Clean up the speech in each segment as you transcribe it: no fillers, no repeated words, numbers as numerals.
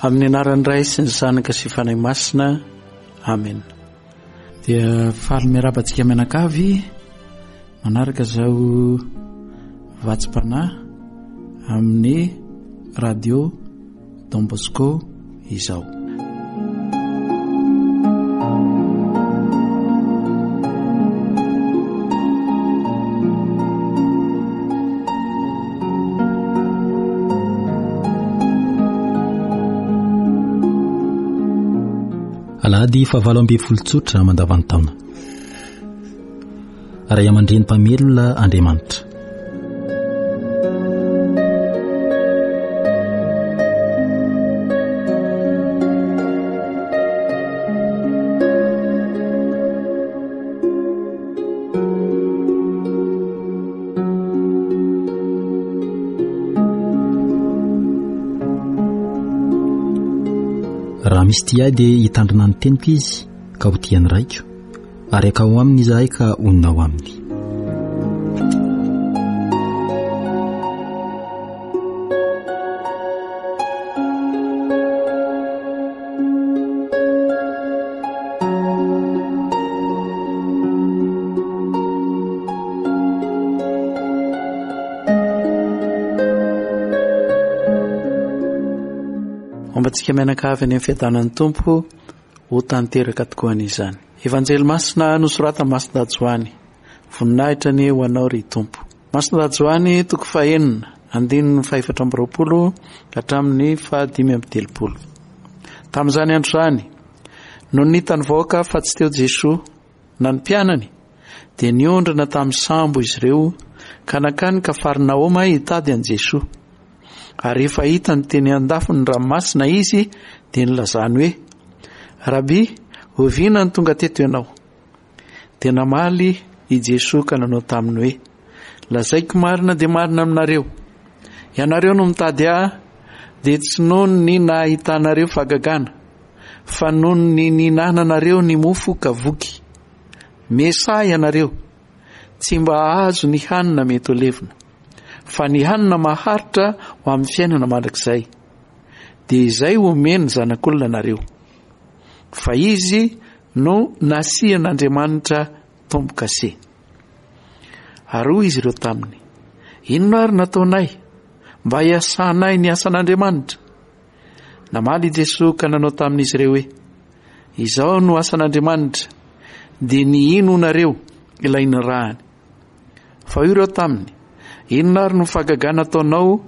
Amin'ny anaran'ny Ray sy ny Zanaka sy Fanahy Masina. Amen. Dia faly miarahaba antsika mianakavy manaraka izao vatsim-panahy amin'ny radio Don Bosco izao. Alahady fahavalo ambin'ny folo tsotra mandavantaona. Ray aman-dreny mpamelona Andriamanitra. Raha misy tia ahy dia hitandrina ny teniko izy ka ho tia ny raiko, ary hakao aminy izahay ka honina ao aminy. Homba antsika mianakavy any amin'ny fiadanan'ny Tompo ho tanteraka tokoa anie izany. Evanjely masina nosoratan'i Masindahy Joany. Voninahitra anie ho anao ry Tompo. Masindahy Joany toko fahenina, andininy fahefatra amby roapolo ka hatramin'ny fahadimy amby telopolo. Tamin'izany andro izany, nony hitan'ny vahoaka fa tsy teo Jesoa na ny mpianany, dia niondrana tamin'ny sambo izy ireo ka nankany Kafarnaoma hitady an'i Jesoa. Ary rehefa hitany teny an-dafin'ny ranomasina izy, dia nilazany hoe, Rabi, oviana no tonga teto ianao? Dia namaly i Jesoa ka nanao taminy hoe, Lazaiko marina dia marina aminareo, ianareo no mitady ahy, dia tsy noho ny nahitanareo fahagagana, fa noho ny nihinananareo ny mofo ka voky. Mesaha ianareo, tsy mba hahazo ny hanina mety ho levona. fa ny hanina maharitra ho amin'ny fiainana mandrakizay, dia izay homen'ny Zanak'olona anareo, fa izy no nasian'Andriamanitra tombo-kase. Ary hoy izy ireo taminy, Inona ary nataonay mba hiasanay ny asan'Andriamanitra? Namaly i Jesoa ka nanao tamin'izy ireo hoe, Izao no asan'Andriamanitra, dia ny hinoanareo ilay nirahany. Fa hoy ireo taminy, Inona ary no fahagagana ataonao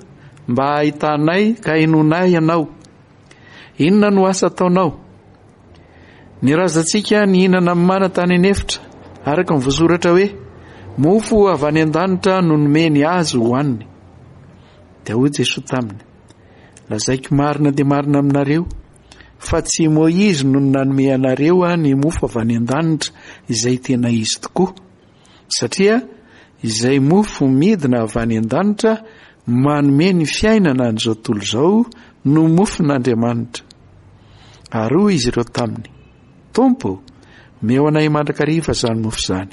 mba hahitanay ka hinoanay ianao? Inona no asa ataonao? Ny razantsika nihinana mana tany an'efitra, araka ny voasoratra hoe, Mofo avy any an-danitra no nomeny azy hohaniny. Dia hoy Jesoa taminy, Lazaiko marina dia marina aminareo, fa tsy i Môizy no nanome anareo ny mofo avy any an-danitra izay tena izy tokoa, Satria izay mofo midina avy any an-danitra manome ny fiainana an'izao tontolo izao no mofon'Andriamanitra. Ary hoy izy ireo taminy, Tompo, omeo anay mandrakariva izany mofo izany.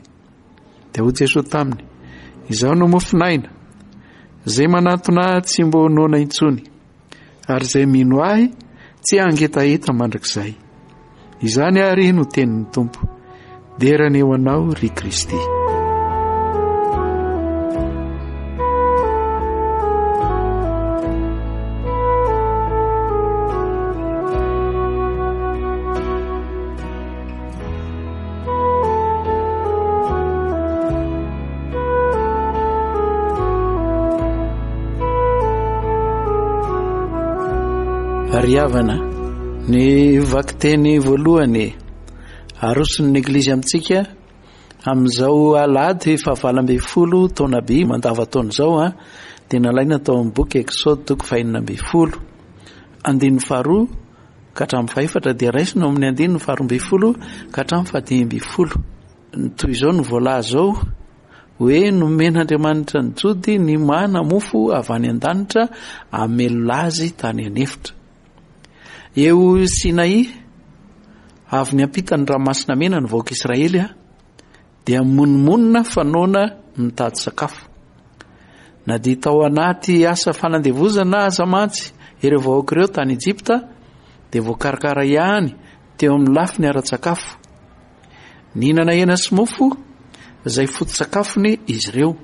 Dia hoy Jesoa taminy, Izaho no mofon'aina. Izay manantona ahy tsy mba ho noana intsony. ary izay mino ahy tsy hangetaheta mandrakizay. Izany àry no tenin'ny Tompo. Dera anie ho anao, ry Kristy. Ry havana, ny vakiteny voalohany aroson'ny Eglizy amintsika amin'izao alahady fahavalo ambin'ny folo taona by mandavantaona izao a, dia nalaina tao amin'ny boky Exode toko fahenina ambin'ny folo, andininy faharoa ka hatramin'ny fahefatra dia raisina ao amin'ny andininy faharoa ambin'ny folo ka hatramin'ny fahadimy ambin'ny folo. Ny toy izao no voalaza ao hoe nomen'Andriamanitra ny Jody ny mana mofo avy any an-danitra hamelona azy tany an'efitra. Eo Sinai, avy niampita ny Ranomasina Mena ny vahoaka Israely dia mimonomonona fa noana mitady sakafo. Na dia tao anaty asa fanandevozana aza mantsy ireo vahoaka ireo tany Egypta. dia voakarakara ihany teo amin'ny lafiny ara-tsakafo. Nihinana hena sy mofo izay foto-tsakafony izy ireo.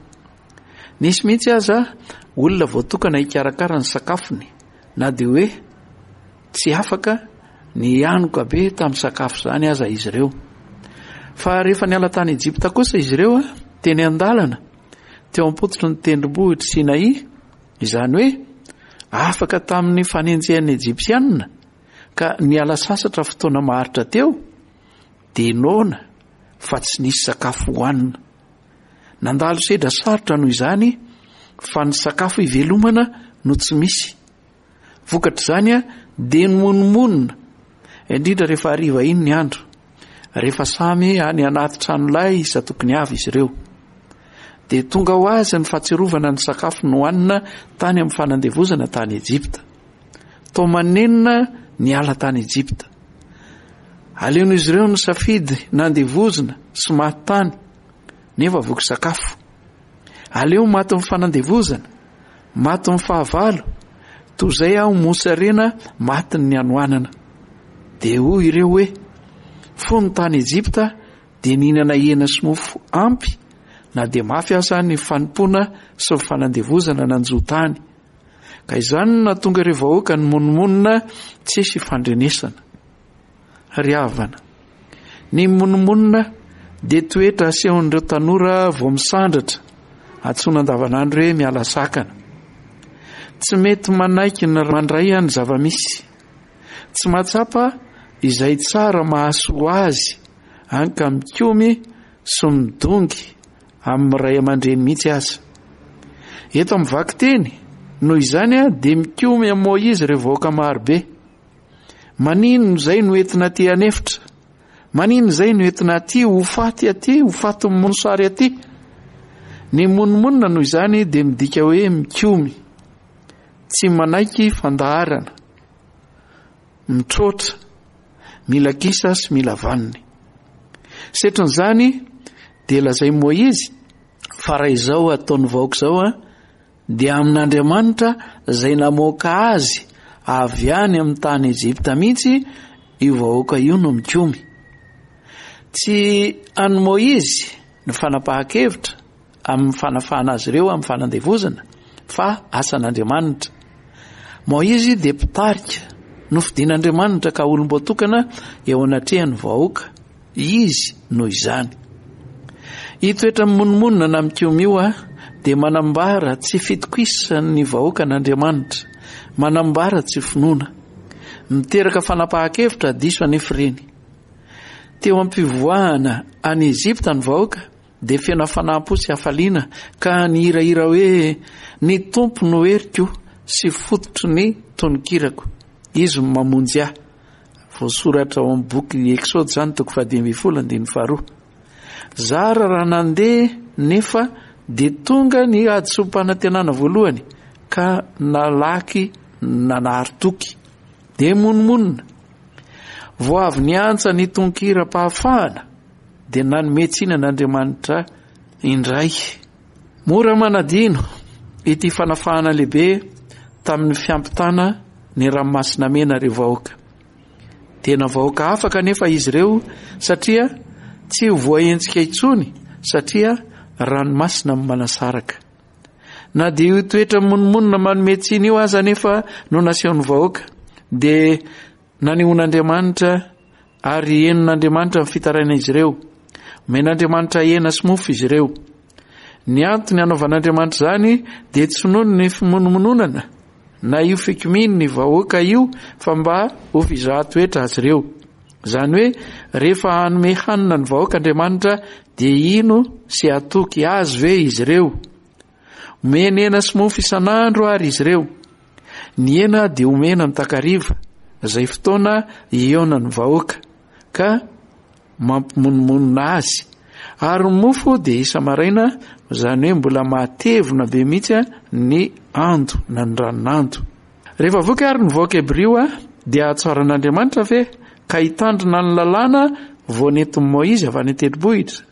Nisy mihitsy aza olona voatokana hikarakara ny sakafony na dia hoe tsy afaka ny hihanoka be tamin'ny sakafo izany aza izy ireo. Fa rehefa niala tany Egypta kosa izy ireo, teny an-dalana, teo am-pototry ny tendrombohitr'i Sinai, izany hoe afaka tamin'ny fanenjehan'ny Egyptiana ka niala sasatra fotoana maharitra teo, dia noana fa tsy nisy sakafo hohanina. Nandalo sedra sarotra noho izany fa ny sakafo ivelomana no tsy misy. Vokatr'izany dia nimonomonona, indrindra rehefa hariva iny ny andro, rehefa samy any anaty tranolay isan-tokony avy izy ireo. Dia tonga ho azy ny fahatsiarovana ny sakafo nohanina tany amin'ny fanandevozana tany Egypta. Toa manenina niala tany Egypta. Aleon'izy ireo nisafidy nandevozina sy maty tany, nefa voky sakafo. Aleo matin'ny fanandevozana, matin'ny fahavalo, toy izay aho mosarena matin'ny hanoanana. Dia hoy ireo hoe, Fony tany Egypta dia nihinana hena sy mofo ampy, na dia mafy aza ny fanompoana sy ny fanandevozana nanjo tany. Ka izany no nahatonga ireo vahoaka nimonomonona tsisy ifandrenesana. Ry havana, ny mimonomonona dia toetra asehon'ireo tanora vao misandratra, antsoina andavanandro hoe miala sakana. Tsy mety manaiky ny mandray ny zava-misy. Tsy mahatsapa izay tsara mahasoa azy, any ka mikomy sy midongy amin'ny ray aman-dreny mihitsy aza. Eto amin'ny vakiteny, noho izany, dia mikomy amin'i Môizy ireo vahoaka marobe. Maninona izay no entina aty an'efitra? Maninona izay no entina aty ho faty aty, ho fatin'ny mosary aty? Ny monomonona noho izany dia midika hoe mikomy, tsy manaiky fandaharana, mitroatra, mila kisa sy mila vaniny. Setrin'izany dia lazain'i Môizy fa raha izao ataon'ny vahoaka izao dia amin'Andriamanitra izay namoaka azy avy any amin'ny tany Egypta mihitsy io vahoaka io no mikomy. Tsy an'i Môizy ny fanapahan-kevitra amin'ny fanafahana azy ireo amin'ny fanandevozana fa asan'Andriamanitra. Môizy dia mpitarika nofidin'Andriamanitra ka olom-boatokana eo anatrehan'ny vahoaka. Izy noho izany. Io toetra mimonomonona na mikomy io dia manambara tsy fitokisan'ny vahoaka an'Andriamanitra, manambara tsy finoana. Miteraka fanapahan-kevitra diso anefa ireny. Teo am-pivoahana any Egypta ny vahoaka dia feno hafanam-po sy hafaliana ka nihirahira hoe, Ny Tompo no heriko sy fototry ny tononkirako, Izy no mamonjy ahy. Voasoratra ao amin'ny boky Eksody izany, toko fahadimy ambin'ny folo, andininy faharoa. Zara raha nandeha nefa dia tonga ny hadisoam-panantenana voalohany ka nalaky nanary toky. Dia monomonona. Vao avy niantsa ny tonkiram-pahafahana dia nanome tsiny an'Andriamanitra indray. Mora manadino ity fanafahana lehibe tamin'ny fiampitana ny Ranomasina Mena ireo vahoaka. Tena vahoaka hafa kanefa izy ireo satria tsy ho voahenjika intsony satria ranomasina no manasaraka. Na dia io toetra monomonona manome tsiny io aza anefa no nasehon'ny vahoaka dia Nanehoan'Andriamanitra ary henon'Andriamanitra ny fitarainan'izy ireo. Omen'Andriamanitra hena sy mofo izy ireo. Ny antony hanaovan'Andriamanitra izany dia tsy noho ny fimonomononana na io fikomian'ny vahoaka io fa mba ho fizahan-toetra azy ireo. Izany hoe rehefa hanome hanina ny vahoaka Andriamanitra dia hino sy hatoky azy ve izy ireo? Omeny hena sy mofo isan'andro àry izy ireo. Ny hena dia omena ny takariva, izay fotoana ihaonan'ny vahoaka, ka mampimonomonona azy. Ary ny mofo dia isa-maraina, izany hoe mbola matevina be mihitsy ny ando na ny ranon'ando. Rehefa voky àry ny vahoaka hebrio, dia hahatsaran'Andriamanitra ve ka hitandrina ny lalàna vao nentin'i Moizy avy any an-tendrombohitra?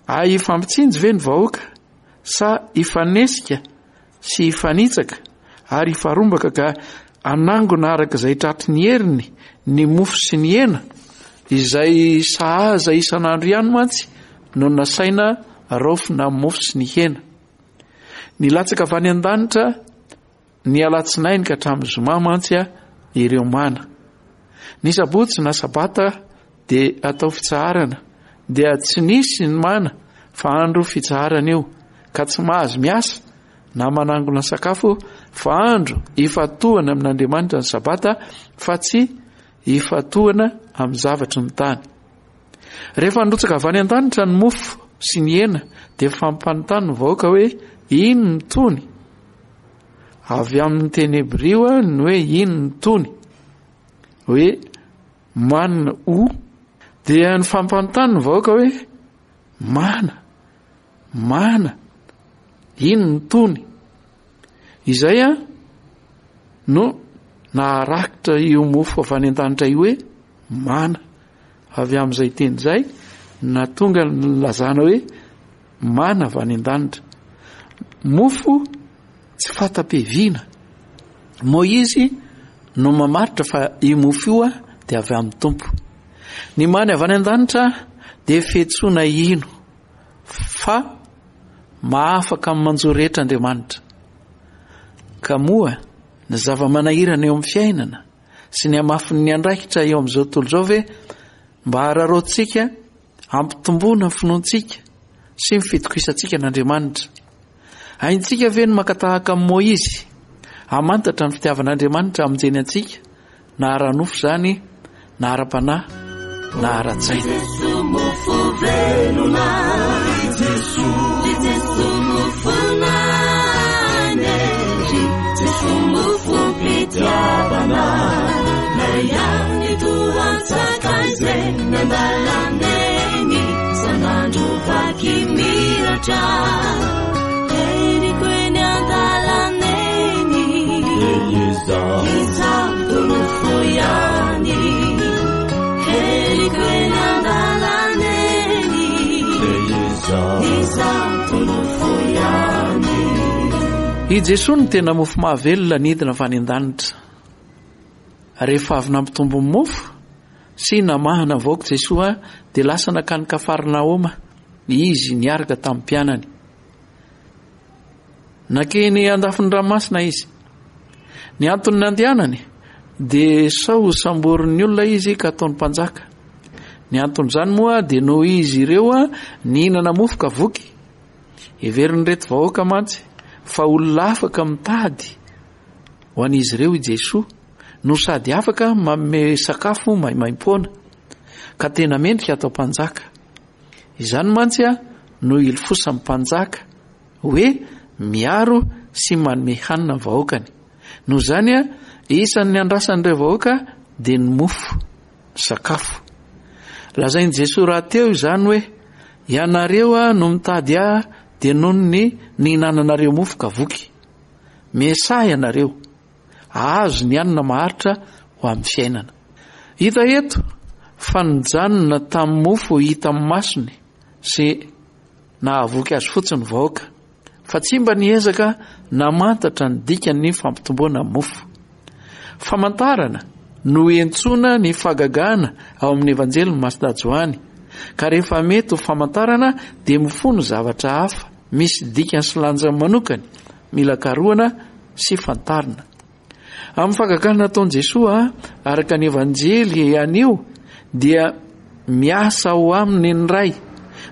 Hay hifampitsinjo ve ny vahoaka sa hifanesika sy hifanitsaka ary hifarombaka ka hanangona araka izay tratry ny heriny ny mofo sy ny hena, izay sahaza isan'andro ihany mantsy no nasaina raofina amin'ny mofo sy ny hena. Nilatsaka avy any an-danitra ny alatsinainy ka hatramin'ny zoma mantsy ireo mana. Ny sabotsy na sabata dia atao fitsaharana, dia tsy nisy ny mana fa andro fitsaharana io ka tsy mahazo miasa na manangona sakafo fa andro ifantohana amin'Andriamanitra ny sabata fa tsy ifantohana amin'ny zavatry ny tany. Rehefa nirotsaka avy any an-danitra ny mofo sy ny hena dia fampanontany ny vahoaka hoe ino ny tony? Avy amin'ny teny hebrio ny hoe ino ny tony? Hoe man u dia ny fampanontany ny vahoaka hoe mana Mana, iny ny tony. Izay an no naharakitra io mofo avy any an-danitra io hoe mana. Avy amin'izay teny izay nahatonga ny nilazana hoe mana avy any an-danitra. Mofo tsy fanta-piaviana. Moizy no mamaritra fa io mofo io dia avy amin'ny Tompo. Ny mana avy any an-danitra dia fiantsoana hino. Fa mahafaka amin'ny manjo rehetra Andriamanitra. Ka moa ny zava-manahirana eo amin'ny fiainana sy ny hamafin'ny andraikitra eo amin'izao tontolo izao ve mba hararaotintsika hampitomboana ny finoantsika sy ny fitokisantsika an'Andriamanitra? Haintsika ve ny maka tahaka amin'i Môizy hamantatra ny fitiavan'Andriamanitra hamonjeny antsika na ara-nofo izany na ara-panahy na ara-tsaina. I Jesoa no tena mofo mahavelona nidina avy any an-danitra. Rehefa avy nampitombo ny mofo sy namahana ny vahoaka Jesoa dia lasa nankany Kafarnaoma izy niaraka tamin'ny mpianany. Nankeny andafin'ny ranomasina izy. Ny antony nandehanany dia sao ho samborin'ny olona izy ka ataony mpanjaka. Ny anton'izany moa dia noho izy ireo nihinana mofo ka voky. Heverin'ireto vahoaka mantsy fa olona afaka mitady ho an'izy ireo i Jesoa no sady afaka manome sakafo maimaimpoana ka tena mendrika atao mpanjaka. Izany mantsy no ilofosan'ny mpanjaka hoe miaro sy manome hanina ny vahoakany. Noho izany, isan'ny andrasan'ireo vahoaka dia ny mofo, ny sakafo. Lazain'i Jesoa rahateo izany hoe, Ianareo no mitady ahy dia noho ny nihinananareo mofo ka voky. Miasaha ianareo, hahazo ny hanina maharitra ho amin'ny fiainana. Hita eto fa nijanona tamin'ny mofo hita amin'ny masony sy nahavoky azy fotsiny ny vahoaka, fa tsy mba niezaka namantatra ny dikan'ny fampitomboana mofo. Famantarana no iantsoana ny fahagagana ao amin'ny Evanjelin'i Masindahy Joany, ka rehefa mety ho famantarana dia mifono zavatra hafa misy dikany sy lanjany manokany mila karohana sy fantarina. Amin'ny fahagagana nataon'i Jesoa araka ny Evanjely anio dia miasa ao aminy ny Ray.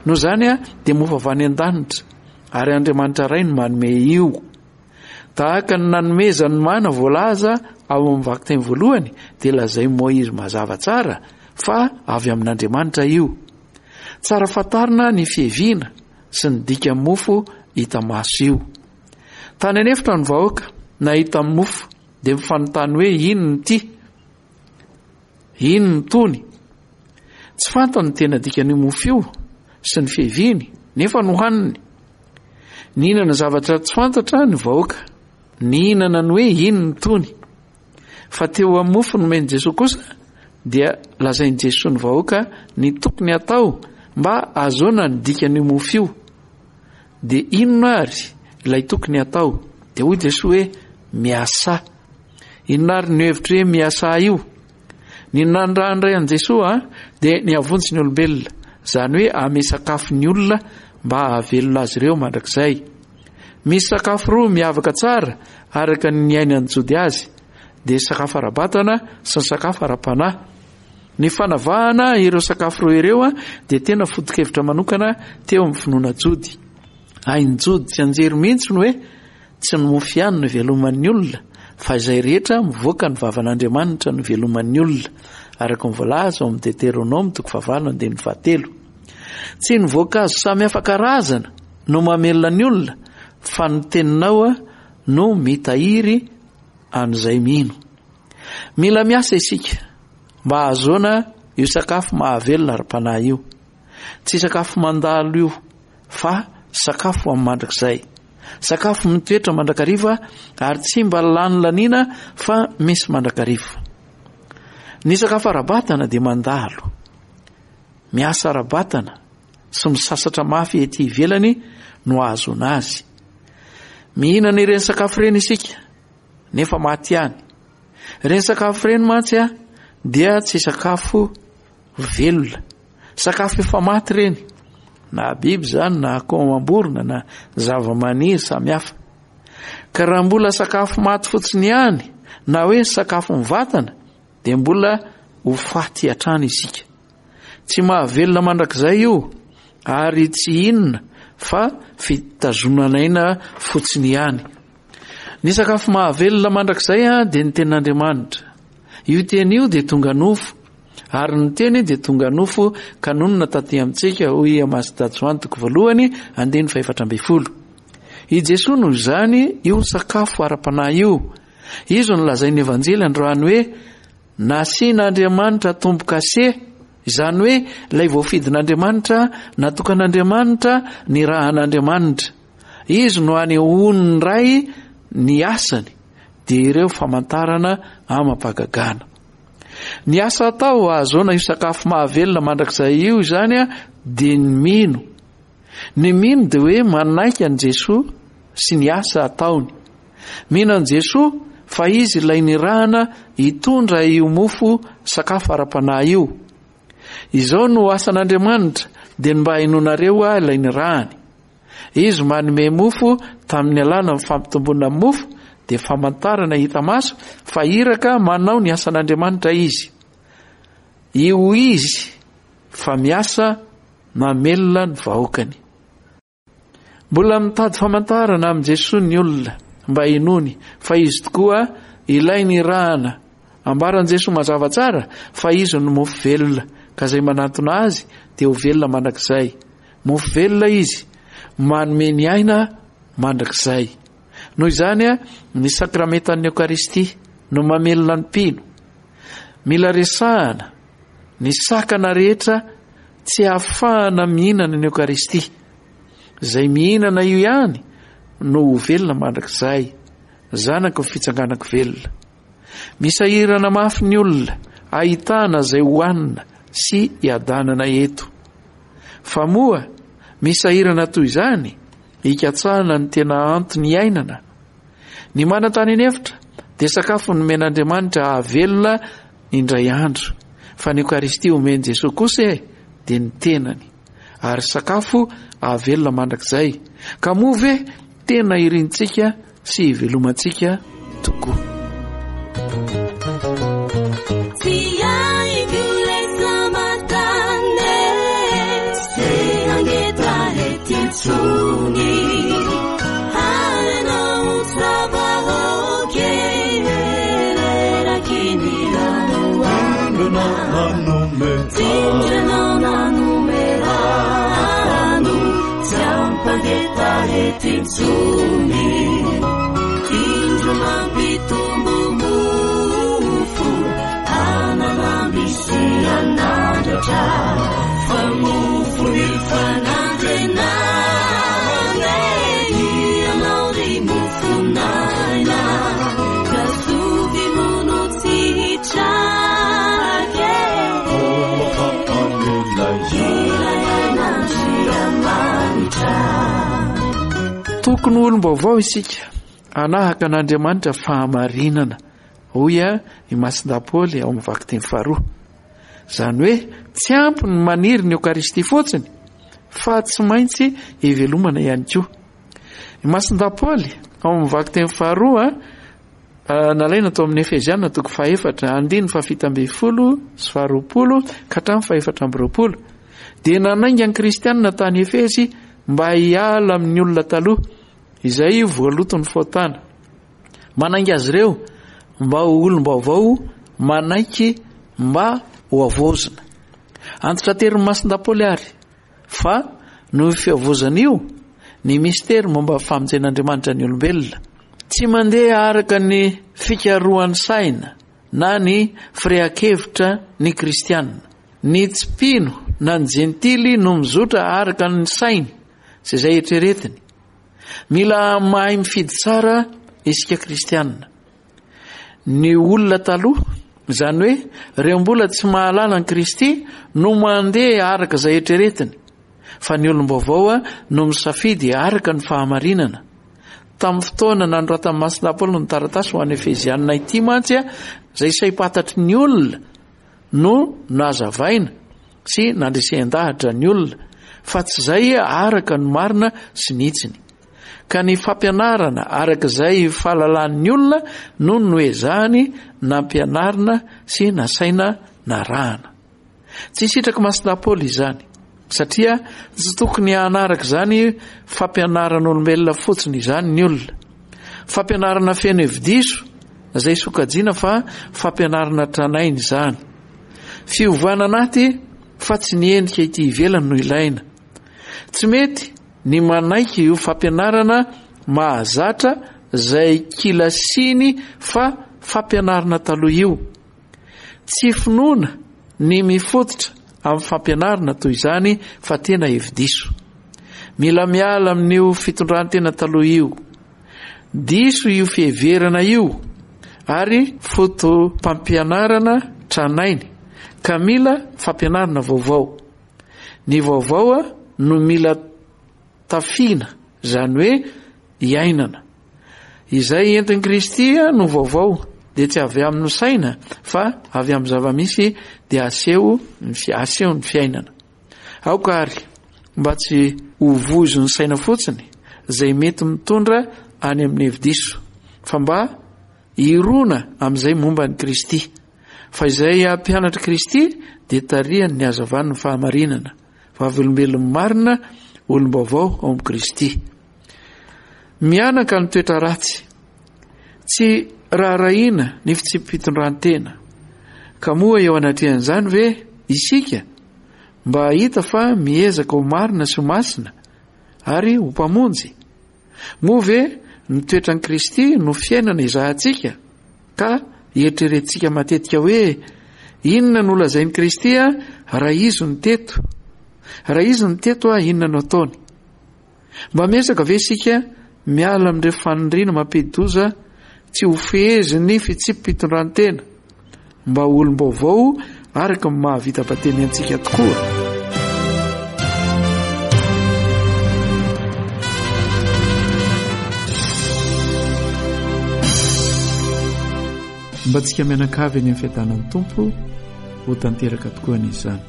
Noho izany dia mofo avy any an-danitra ary Andriamanitra Ray no manome io. Tahaka ny nanomezany mana voalaza ao amin'ny vakiteny voalohany dia lazain'i Moizy mazava tsara fa avy amin'Andriamanitra io. Tsara fantarina ny fiheviana sy ny dikan'ny mofo hita maso io. Tany an'efitra ny vahoaka nahita ny mofo dia mifanontany hoe inona ity? Inona itony? Tsy fantany ny tena dikan'io mofo io sy ny fiaviany nefa nohaniny. Nihinana zavatra tsy fantatra ny vahoaka. Nihinana ny hoe inona itony? Fa teo amin'ny mofo nomen'i Jesoa kosa dia lazain'i Jesoa ny vahoaka ny tokony hatao mba hahazoana ny dikan'io mofo io. Dia inona ary ilay tokony hatao? Dia hoy Jesoa hoe, Miasà. Inona ary no hevitry hoe miasà io? Ny nanirahan'ny Ray an'i Jesoa dia ny hahavonjy ny olombelona, izany hoe hanome sakafo ny olona mba hahavelona azy ireo mandrakizay. Misy sakafo roa miavaka tsara araka ny niainan'ny Jody azy, dia sakafo ara-batana sy ny sakafo ara-panahy. Ny fanavahana ireo sakafo roa ireo dia tena foto-kevitra manokana teo amin'ny finoana jody. Hain'ny Jody tsianjery mihitsy ny hoe tsy ny mofo ihany no iveloman'ny olona fa izay rehetra mivoaka ny vavan'Andriamanitra no iveloman'ny olona, araka ny voalaza ao amin'ny Deteronoma toko fahavalo andininy fahatelo. Tsy ny voankazo samy hafa karazana no mamelona ny olona fa ny teninao no mitahiry an'izay mino. Mila miasa isika mba hahazoana io sakafo mahavelona ara-panahy io. Tsy sakafo mandalo io fa sakafo amin'ny mandrakizay. Sakafo mitoetra mandrakariva ary tsy mba lany laniana fa misy mandrakariva. Ny sakafo ara-batana dia mandalo. Miasa ara-batana sy misasatra mafy ety ivelany no ahazoana azy. Mihinana ireny sakafo ireny isika nefa maty ihany. Ireny sakafo ireny mantsy dia tsy sakafo velona. Sakafo efa maty ireny, na biby izany na akoho amam-borona na zava-maniry samihafa. Ka raha mbola sakafo maty fotsiny ihany na hoe sakafo mivatana dia mbola ho faty hatrany isika. Tsy mahavelona mandrakizay io ary tsy inona fa fitazonan'aina fotsiny ihany. Ny sakafo mahavelona mandrakizay dia ny tenin'Andriamanitra. Io teny io dia tonga nofo, ary ny teny dia tonga nofo ka nonina taty amintsika, hoy i Masda Joany toko voalohany, andininy fahefatra ambin'ny folo. I Jesoa noho izany io sakafo ara-panahy io. Izy no lazain'ny Evanjely androany hoe nasian'Andriamanitra tombo-kase, izany hoe ilay voafidin'Andriamanitra, natokan'Andriamanitra, nirahan'Andriamanitra. Izy no anehoan'ny Ray ny asany, dia ireo famantarana amam-pahagagana. Ny asa atao ahazoana io sakafo mahavelona mandrakizay io izany dia ny mino. Ny mino dia hoe manaiky an'i Jesoa sy ny asa ataony. Mino an'i Jesoa fa Izy ilay nirahana hitondra io mofo sakafo ara-panahy io. Izao no asan'Andriamanitra dia ny mba hinoanareo Ahy ilay nirahany. Izy manome mofo tamin'ny alalan'ny fampitomboana ny mofo dia famantarana hita maso fa iraka manao ny asan'Andriamanitra izy. Io izy fa miasa mamelona ny vahoakany. Mbola mitady famantarana amin'i Jesoa ny olona mba hinoany fa izy tokoa ilay nirahana. Ambaran'i Jesoa mazava tsara fa izy no mofo velona ka izay manantona azy dia ho velona mandrakizay. Mofo velona izy, manome ny aina mandrakizay. Noho izany, ny sakramentan'ny Eokaristia no mamelona ny mpino. Mila resahana ny sakana rehetra tsy ahafahana mihinana ny Eokaristia. Izay mihinana io ihany no ho velona mandrakizay, zanaky ny fitsanganan-ko velona. Misahirana mafy ny olona ahitana izay hohanina sy hiadanana eto. Fa moa misahirana toy izany hikatsahana ny tena antony iainana? Ny mana tany an'efitra dia sakafo nomen'Andriamanitra hahavelona indray andro, fa ny Eokaristia omen'i Jesoa kosa e dia ny tenany, ary sakafo hahavelona mandrakizay. Ka moa ve tena irintsika sy hivelomantsika tokoa. Tokony ho olom-baovao isika, hanahaka an'Andriamanitra fahamarinana. Hoy i Masindahy Paoly ao amin'ny vakiteny faharoa. Izany hoe tsy ampy ny maniry ny Eokaristia fotsiny fa tsy maintsy ivelomana ihany koa. I Masindahy Paoly ao amin'ny vakiteny faharoa nalaina tao amin'ny Efeziana toko fahefatra andininy fahafito ambin'ny folo sy faharoapolo ka hatramin'ny fahefatra amby roapolo dia nanainga ny kristianina tany Efezy mba hiala amin'ny olona taloha izay voaloton'ny fahotana. Manainga azy ireo mba ho olom-baovao manaiky mba ho havaozina. Antitraterin'i Masindahy Paoly àry fa noho io fihavaozana io ny mistery momba ny famonjen'Andriamanitra ny olombelona. Tsy mandeha araka ny fikarohan'ny saina na ny firehan-kevitra ny kristiana. Ny tsy mpino na ny jentily no mizotra araka ny sainy sy izay eritreretiny. Mila mahay mifidy tsara isika kristiana. Ny olona taloha, izany hoe ireo mbola tsy mahalala an'i Kristy no mandeha araka izay eritreretiny, fa ny olom-baovao no misafidy araka ny fahamarinana. Tamin'ny fotoana nanoratan'i Masina Paoly ny taratasy ho an'ny Efezianina ity mantsy, izay saim-pantatry ny olona no nazavaina sy nandresen-dahatra ny olona fa tsy izay araka ny marina sy ny hitsiny. Ka ny fampianarana araka izay fahalalan'ny olona no noezahany nampianarina sy nasaina narahana. Tsy sitrak'i Masina Paoly izany, satria tsy tokony hanaraka izany fampianaran'olombelona fotsiny izany ny olona. Fampianarana feno hevi-diso izay sokajiana fa fampianarana tranainy izany. Fiovana anaty fa tsy ny endrika ety ivelany no ilaina. Tsy mety ny manaiky io fampianarana mahazatra izay kilasiny fa fampianarana taloha io. Tsy finoana ny mifototra amin'ny fampianarana toy izany fa tena hevi-diso. Mila miala amin'io fitondran-tena taloha io. Diso io fiheverana io ary foto-pampianarana tranainy ka mila fampianarana vaovao. Ny vaovao no mila tafiana, izany hoe iainana. Izay entin'i Kristy no vaovao dia tsy avy amin'ny saina fa avy amin'ny zava-misy dia aseho ny aseho ny fiainana. Aoka àry mba tsy ho voizin'ny saina fotsiny izay mety mitondra any amin'ny hevi-diso, fa mba hirona amin'izay momba an'i Kristy. Fa izay mpianatr'i Kristy dia tarihan'ny hazavan'ny fahamarinana, vavolombelon'ny marina, olom-baovao ao amin'i Kristy. Mihanaka ny toetra ratsy. Tsy raharahiana ny fitsipi-pitondran-tena. Ka moa eo anatrehan'izany ve isika mba hahita fa miezaka ho marina sy ho masina ary ho mpamonjy? Moa ve ny toetran'i Kristy no fiainana ezahantsika ka eritreretintsika matetika hoe inona no lazain'i Kristy raha izy no teto? Raha izy no teto inona no ataony? Mba miezaka ve isika miala amin'ireo faniriana mampidi-doza tsy ho fehezin'ny fitsipi-pitondran-tena mba ho olom-baovao araka ny maha-vita batemy antsika tokoa? Mba antsika mianakavy eny amin'ny fiadanan'ny Tompo ho tanteraka tokoa anie izany.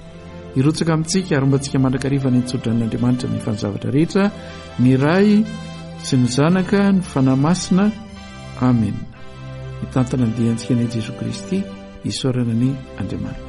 Hirotsaka amintsika ary homba antsika mandrakariva ny tsodranon'Andriamanitra ny efa ny zavatra rehetra, ny Ray sy ny Zanaka, ny Fanahy Masina. Amena. Mitantana ny diantsika anie Jesoa Kristy, isaorana anie Andriamanitra.